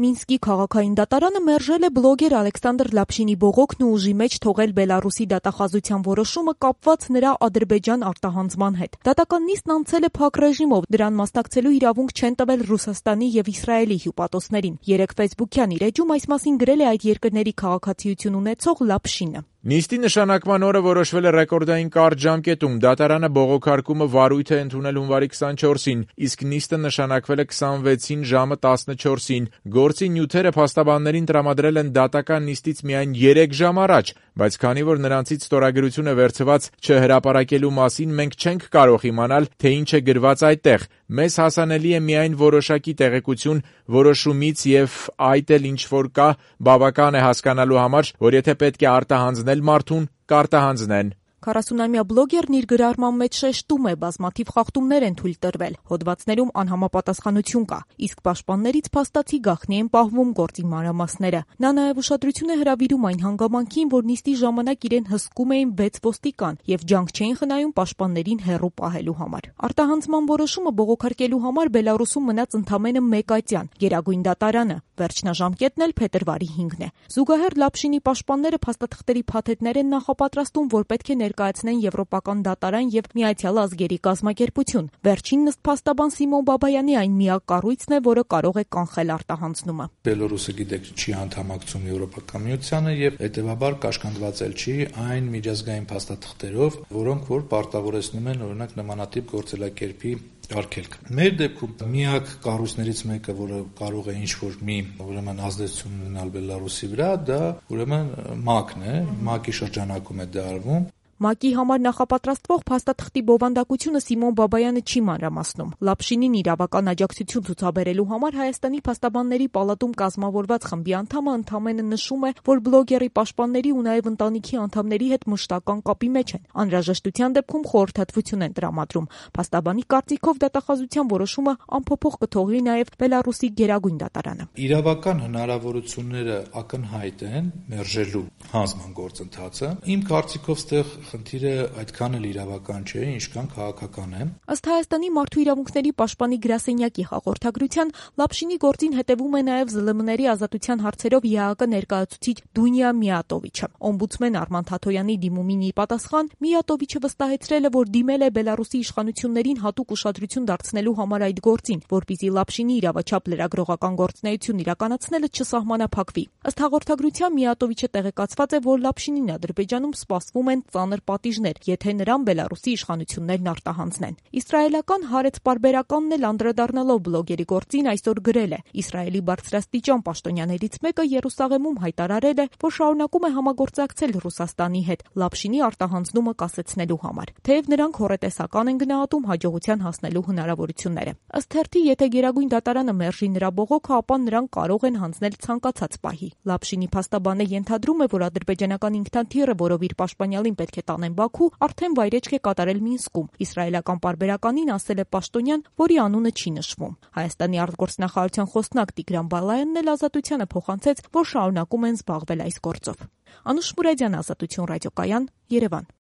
Մինսկի քաղաքային դատարանը մերժել է բլոգեր Ալեքսանդր Լապշինի բողոքն ու ուժի մեջ թողել Բելարուսի դատախազության որոշումը կապված նրա Ադրբեջան արտահանձնման հետ։ Դատական նիստն անցել է փակ ռեժիմով, դրան մասնակցելու իրավունք չեն տվել Ռուսաստանի եւ Իսրայելի հյուպատոսներին։ Երեկ ֆեյսբուքյան իր էջում այս մասին գրել է այդ երկրների քաղաքացիություն ունեցող Լապշինը։ Նիստի նշանակման օրը որոշվել է ռեկորդային կարճ ժամկետում։ Դատարանը բողոքարկումը վարույթ է ընդունել հունվարի 24-ին, իսկ նիստը նշանակվել է 26-ին ժամը 14-ին։ Գործի նյութերը փաստաբաններին տրամադրել են դատական նիստից միայն 3 ժամ առաջ, բայց քանի որ նրանցից ստորագրություն է վերցված չհրապարակելու մասին, մենք չենք կարող իմանալ, թե ինչ է գրված այդտեղ։ Մեզ հասանելի է միայն որոշակի տեղեկություն որոշումից եւ այդ էլ ինչ որ կա, բավական է հասկանալու համար, որ եթե պետք է արտահանձնել մարդուն, կարտահանձնեն։ 40-ամյա բլոգերն իր գրառման մեջ շեշտում է, բազմաթիվ խախտումներ են թույլ տրվել, հոդվածներում անհամապատասխանություն կա, իսկ պաշտպաններից փաստացի գաղտնի են պահվում գործի մանրամասները։ Նա նաև ուշադրություն է հրավիրում այն հանգամանքին, որ նիստի ժամանակ իրեն հսկում էին 6 ոստիկան եւ ջանք չէին խնայում պաշտպաններին հեռու պահելու համար։ Արտահանձնման որոշումը բողոքարկելու համար Բելարուսում մնաց ընդամենը 1 ատյան՝ Գերագույն դատարանը, վերջնաժամկետն էլ փետրվարի 5-ն է։ Զուգահեռ Լապշինի պաշտպանները փաստաթղթերի փաթեթներ են նախապատրաստում, որ պետք է ներկայացնեն Եվրոպական դատարան եւ Միացյալ Ազգերի կազմակերպություն։ Վերջին նստփաստաբան Սիմոն Բաբայանի այն միակ կառույցն է, որը կարող է կանխել արտահանձնումը։ Բելարուսը գիտեք չի անդամակցում Եվրոպական միությանը եւ հետեւաբար կաշկանդված էլ չի այն միջազգային փաստաթղթերով, որոնք որ պարտավորեցնում են օրինակ նմանատիպ գործելակերպի արգելք։ Մեր դեպքում միակ կառույցներից մեկը, որը կարող է ինչ-որ մի ազդեցություն ունենալ Բելարուսի վրա, դա ուրեմն ՄԱԿ-ն է, ՄԱԿ-ի շրջանակում է դա արվում։ ՄԱԿ-ի համար նախապատրաստվող փաստաթղթի բովանդակությունը Սիմոն Բաբայանը չի մանրամասնում։ Լապշինին իրավական աջակցություն ցուցաբերելու համար Հայաստանի փաստաբանների պալատում կազմավորված խմբի անդամը ընդամենը նշում է, որ բլոգերի պաշտպանների ու նաև ընտանիքի անդամների հետ մշտական կապի մեջ են։ Անհրաժեշտության դեպքում խորհրդատվություն են տրամադրում։ Փաստաբանի կարծիքով դատախազության որոշումը անփոփոխ կթողի նաև Բելարուսի Գերագույն դատարանը։ Իրավական հնարավորությունները ակնհայտ են մերժելու հանձնման գործընթացը։ Իմ կարծիքով ստեղ խնդիրը այդքան էլ իրավական չէ, ինչքան քաղաքական է։ Ըստ Հայաստանի մարդու իրավունքների պաշտպանի գրասենյակի հաղորդագրության, Լապշինի գործին հետևում է նաև ԶԼՄ-ների ազատության հարցերով ԵԱԿ ներկայացուցիչ Դունյա Միատովիչը։ Օմբուդսմեն Արման Թաթոյանի դիմումին ի պատասխան Միատովիչը վստահեցրել է, որ դիմել է Բելարուսի իշխանություններին հատուկ ուշադրություն դարձնելու համար այդ գործին, որպեսզի Լապշինի իրավաչափ լրագրողական գործունեություն իրականացնելը չսահմանափակվի։ Ըստ հաղորդագրության Միատովիչը տեղեկացված է, որ Լապշինին Ադրբեջանում սպասվում են ծանր պատիժներ, եթե նրան Բելարուսի իշխանություններն արտահանձնեն։ Իսրայելական Հարեց պարբերականն էլ անդրադառնալով բլոգերի գործին այսօր գրել է. Իսրայելի բարձրաստիճան պաշտոնյաներից մեկը Երուսաղեմում հայտարարել է, որ շարունակում է համագործակցել Ռուսաստանի հետ Լապշինի արտահանձնումը կասեցնելու համար, թեև նրանք հոռետեսական են գնահատում հաջողության հասնելու հնարավորությունները։ Ըստ թերթի, եթե Գերագույն դատարանը մերժի նրա բողոքը, ապա նրանք կարող են հանձնել ցանկացած պահի։ Լապշինի փաստաբանը ենթադրում է, որ ադրբեջանական ինքնաթիռը, որով իր պաշտպանյալին պետք է տանեն Բաքու, արդեն վայրեջք է կատարել Մինսկում։ Իսրայելական պարբերականին ասել է պաշտոնյան, որի անունը չի նշվում։ Հայաստանի արտգործնախարարության խոսնակ Տիգրան Բալայանն էլ Ազատությանը փոխանցեց, որ շարունակում են զբաղվել այս գործով։ Անուշ Մուրադյան, Ազատություն ռադիոկայան, Երևան։